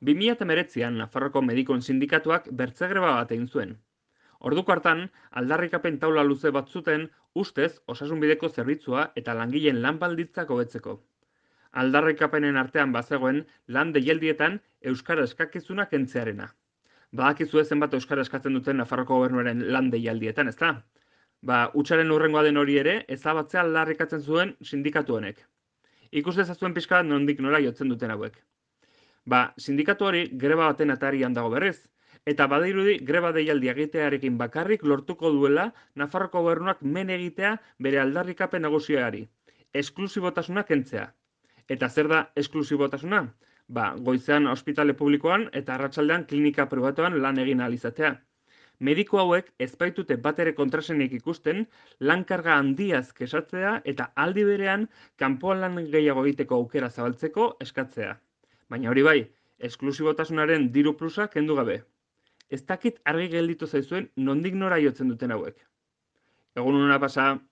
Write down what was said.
2019an Nafarroko medikuen sindikatuak bertze greba bat egin zuen. Orduko hartan, aldarrikapen taula luze bat zuten ustez osasunbideko zerbitzua eta langileen lan baldintzak hobetzeko. Aldarrikapenen artean bazegoen lan deialdietan euskara eskakizuna kentzearena. Badakizue zenbat euskara eskatzen duten Nafarroko gobernuaren lan deialdietan, ezta? Hutsaren hurrengoa den hori ere, ezabatzea aldarrikatzen zuen sindikatu honek. Ikus dezazuen pixka bat nondik nora jotzen duten hauek. Sindikatu hori greba baten atarian dago berriz, eta badirudi greba deialdi egitearekin bakarrik lortuko duela Nafarroko gobernuak men egitea bere aldarrikapen nagusiari, esklusibotasuna kentzea. Eta zer da esklusibotasuna? Goizean ospitale publikoan eta arratsaldean klinika pribatuan lan egin ahal izatea. Mediku hauek ez baitute batere kontrasenik ikusten lan-karga handiaz kexatzea eta aldi berean kanpoan lan gehiago egiteko aukera zabaltzeko eskatzea. Baina hori bai, esklusibotasunaren diru plusa kendu gabe. Ez dakit argi gelditu zaizuen nondik nora jotzen duten hauek. Egun hona pasa,